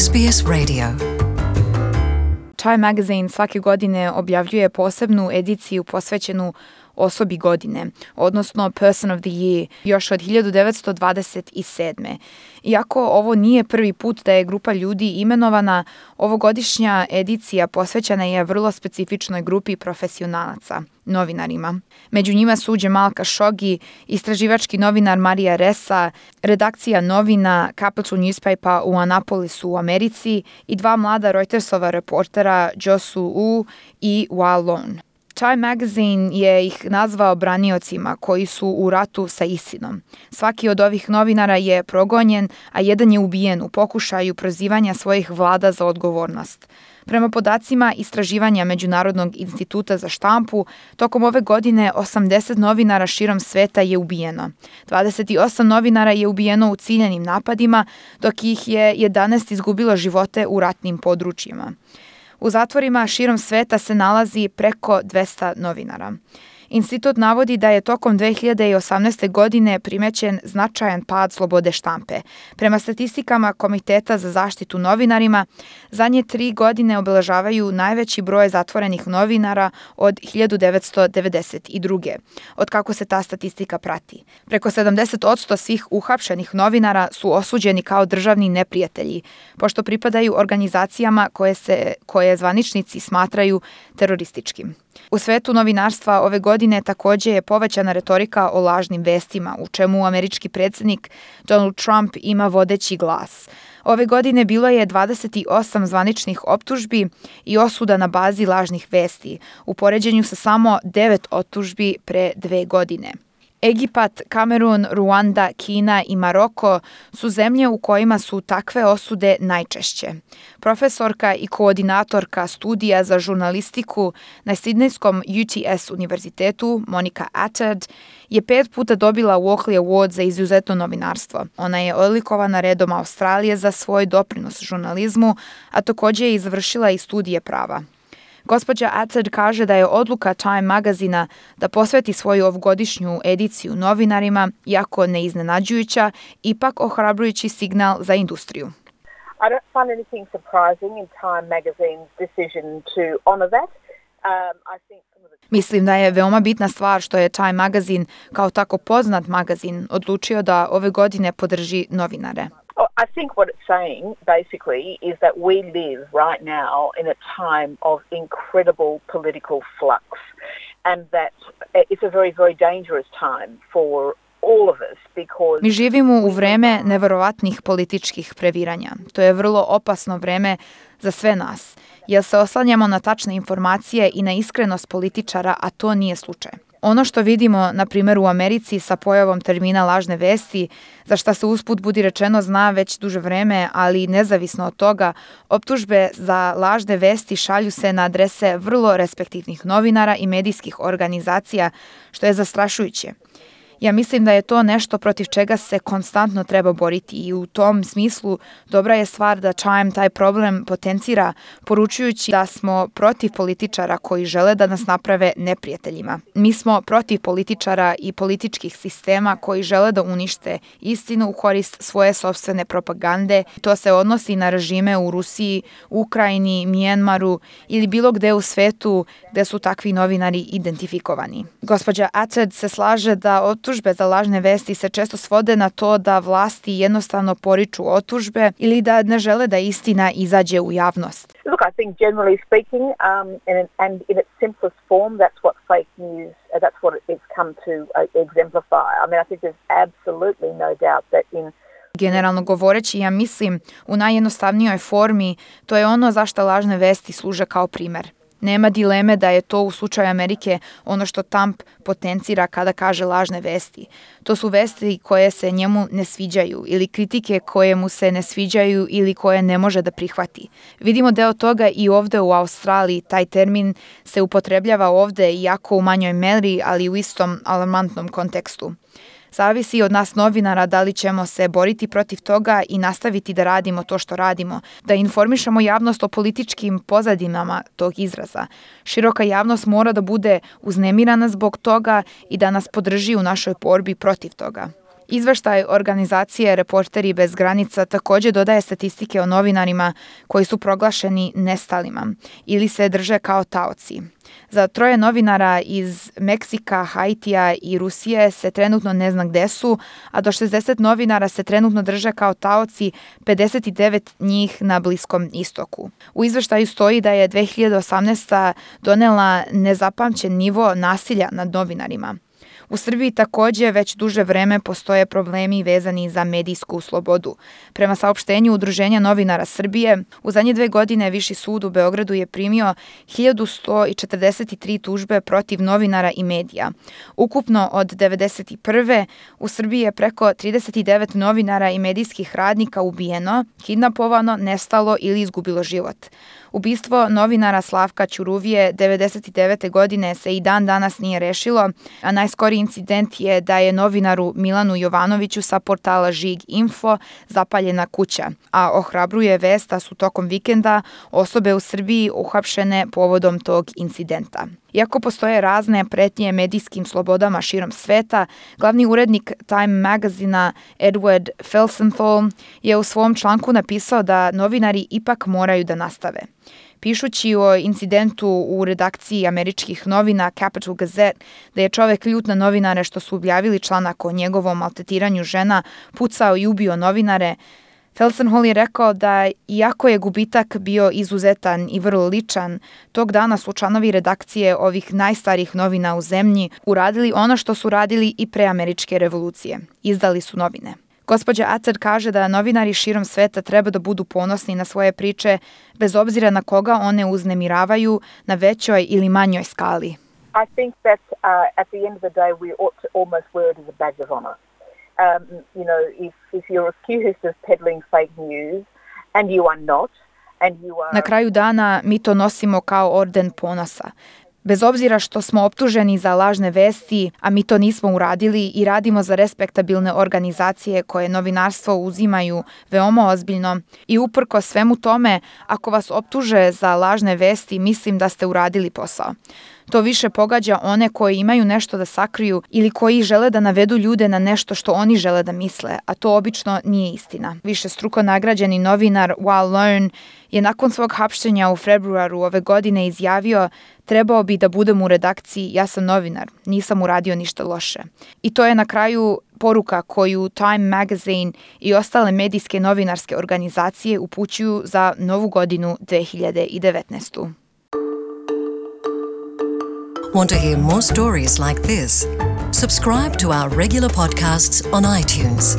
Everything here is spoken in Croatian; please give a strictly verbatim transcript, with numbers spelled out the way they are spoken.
S B S Radio. Time Magazine svake godine objavljuje posebnu ediciju posvećenu osobi godine, odnosno Person of the Year, još od hiljadu devetsto dvadeset sedme. Iako ovo nije prvi put da je grupa ljudi imenovana, ovogodišnja edicija posvećena je vrlo specifičnoj grupi profesionalaca, novinarima. Među njima su Jamal Khashoggi, istraživački novinar Marija Ressa, redakcija novina Capital Newspaper u Annapolisu u Americi i dva mlada Reutersova reportera Josu U i Wa Lone. Time Magazine je ih nazvao braniocima koji su u ratu sa ISILom. Svaki od ovih novinara je progonjen, a jedan je ubijen u pokušaju prozivanja svojih vlada za odgovornost. Prema podacima istraživanja Međunarodnog instituta za štampu, tokom ove godine osamdeset novinara širom sveta je ubijeno. dvadeset osam novinara je ubijeno u ciljanim napadima, dok ih je jedanaest izgubilo živote u ratnim područjima. U zatvorima širom sveta se nalazi preko dvesta novinara. Institut navodi da je tokom dve hiljade osamnaeste. godine primećen značajan pad slobode štampe. Prema statistikama Komiteta za zaštitu novinarima, zadnje tri godine obeležavaju najveći broj zatvorenih novinara od hiljadu devetsto devedeset druge. od kako se ta statistika prati. Preko sedamdeset posto svih uhapšenih novinara su osuđeni kao državni neprijatelji, pošto pripadaju organizacijama koje se koje zvaničnici smatraju terorističkim. U svetu novinarstva ove godine također je povećana retorika o lažnim vestima, u čemu američki predsjednik Donald Trump ima vodeći glas. Ove godine bilo je dvadeset osam zvaničnih optužbi i osuda na bazi lažnih vesti, u poređenju sa samo devet optužbi pre dve godine. Egipat, Kamerun, Ruanda, Kina i Maroko su zemlje u kojima su takve osude najčešće. Profesorka i koordinatorka studija za žurnalistiku na Sidnejskom U T S univerzitetu, Monica Attard, je pet puta dobila Walkley Award za izuzetno novinarstvo. Ona je odlikovana redom Australije za svoj doprinos žurnalizmu, a također je izvršila i studije prava. Gospođa Attard kaže da je odluka Time Magazina da posveti svoju ovogodišnju ediciju novinarima, jako neiznenađujuća, ipak ohrabrujući signal za industriju. I don't find anything surprising in Time Magazine's decision to honor that. Um, I think some of the... Mislim da je veoma bitna stvar što je Time Magazine, kao tako poznat magazin, odlučio da ove godine podrži novinare. I think what it's saying, basically, is that we live right now in a time of incredible political flux, and that it's a very, very dangerous time for all of us because... Mi živimo u vreme neverovatnih političkih previranja. To je vrlo opasno vreme za sve nas, jer se oslanjamo na tačne informacije i na iskrenost političara, a to nije slučaj. Ono što vidimo, na primjer, u Americi sa pojavom termina lažne vesti, za šta se usput budi rečeno zna već duže vreme, ali nezavisno od toga, optužbe za lažne vesti šalju se na adrese vrlo respektivnih novinara i medijskih organizacija, što je zastrašujuće. Ja mislim da je to nešto protiv čega se konstantno treba boriti i u tom smislu dobra je stvar da Time taj problem potencira, poručujući da smo protiv političara koji žele da nas naprave neprijateljima. Mi smo protiv političara i političkih sistema koji žele da unište istinu u korist svoje sopstvene propagande. To se odnosi na režime u Rusiji, Ukrajini, Mjanmaru ili bilo gde u svetu gde su takvi novinari identifikovani. Gospođa Attard se slaže da optužbe za lažne vesti se često svode na to da vlasti jednostavno poriču optužbe ili da ne žele da istina izađe u javnost. Look, I think generally speaking, um, and, and in its simplest form, that's what fake news, uh, that's what it's come to uh, exemplify. I mean, I think there's absolutely no doubt that in Generalno govoreći, ja mislim, u najjednostavnijoj formi, to je ono zašto lažne vesti služe kao primer. Nema dileme da je to u slučaju Amerike ono što Trump potencira kada kaže lažne vesti. To su vesti koje se njemu ne sviđaju ili kritike koje mu se ne sviđaju ili koje ne može da prihvati. Vidimo deo toga i ovde u Australiji. Taj termin se upotrebljava ovde iako u manjoj meri, ali u istom alarmantnom kontekstu. Zavisi od nas novinara da li ćemo se boriti protiv toga i nastaviti da radimo to što radimo, da informišemo javnost o političkim pozadinama tog izraza. Široka javnost mora da bude uznemirana zbog toga i da nas podrži u našoj borbi protiv toga. Izveštaj organizacije Reporteri bez granica također dodaje statistike o novinarima koji su proglašeni nestalima ili se drže kao taoci. Za troje novinara iz Meksika, Haitija i Rusije se trenutno ne zna gde su, a do šezdeset novinara se trenutno drže kao taoci, pedeset devet njih na Bliskom istoku. U izveštaju stoji da je dve hiljade osamnaeste. donela nezapamćen nivo nasilja nad novinarima. U Srbiji također već duže vreme postoje problemi vezani za medijsku slobodu. Prema saopštenju Udruženja novinara Srbije, u zadnje dve godine Viši sud u Beogradu je primio hiljadu sto četrdeset tri tužbe protiv novinara i medija. Ukupno od devedeset prve. u Srbiji je preko trideset devet novinara i medijskih radnika ubijeno, kidnapovano, nestalo ili izgubilo život. Ubistvo novinara Slavka Ćuruvije devedeset devete. godine se i dan danas nije rešilo, a najskoriji incident je da je novinaru Milanu Jovanoviću sa portala Žig Info zapaljena kuća, a ohrabruje vest da su tokom vikenda osobe u Srbiji uhapšene povodom tog incidenta. Iako postoje razne pretnje medijskim slobodama širom sveta, glavni urednik Time magazina Edward Felsenthal je u svom članku napisao da novinari ipak moraju da nastave. Pišući o incidentu u redakciji američkih novina Capital Gazette, da je čovek ljut na novinare što su objavili članak o njegovom maltretiranju žena, pucao i ubio novinare, Felsenthal je rekao da iako je gubitak bio izuzetan i vrlo ličan, tog dana su članovi redakcije ovih najstarijih novina u zemlji uradili ono što su radili i pre američke revolucije. Izdali su novine. Gospođa Acer kaže da novinari širom sveta treba da budu ponosni na svoje priče, bez obzira na koga one uznemiravaju na većoj ili manjoj skali. I think that uh, at the end of the day we ought to almost wear it as a badge of honor. Um, you know, if, if you're accused of peddling fake news and you are not, and you are... Na kraju dana mi to nosimo kao orden ponosa. Bez obzira što smo optuženi za lažne vesti, a mi to nismo uradili i radimo za respektabilne organizacije koje novinarstvo uzimaju veoma ozbiljno, i uprko svemu tome, ako vas optuže za lažne vesti, mislim da ste uradili posao. To više pogađa one koji imaju nešto da sakriju ili koji žele da navedu ljude na nešto što oni žele da misle, a to obično nije istina. Višestruko nagrađeni novinar Wal Learn je nakon svog hapštenja u februaru ove godine izjavio: trebao bi da budem u redakciji, ja sam novinar, nisam uradio ništa loše. I to je na kraju poruka koju Time Magazine i ostale medijske novinarske organizacije upućuju za novu godinu dve hiljade devetnaeste. Want to hear more stories like this? Subscribe to our regular podcasts on iTunes.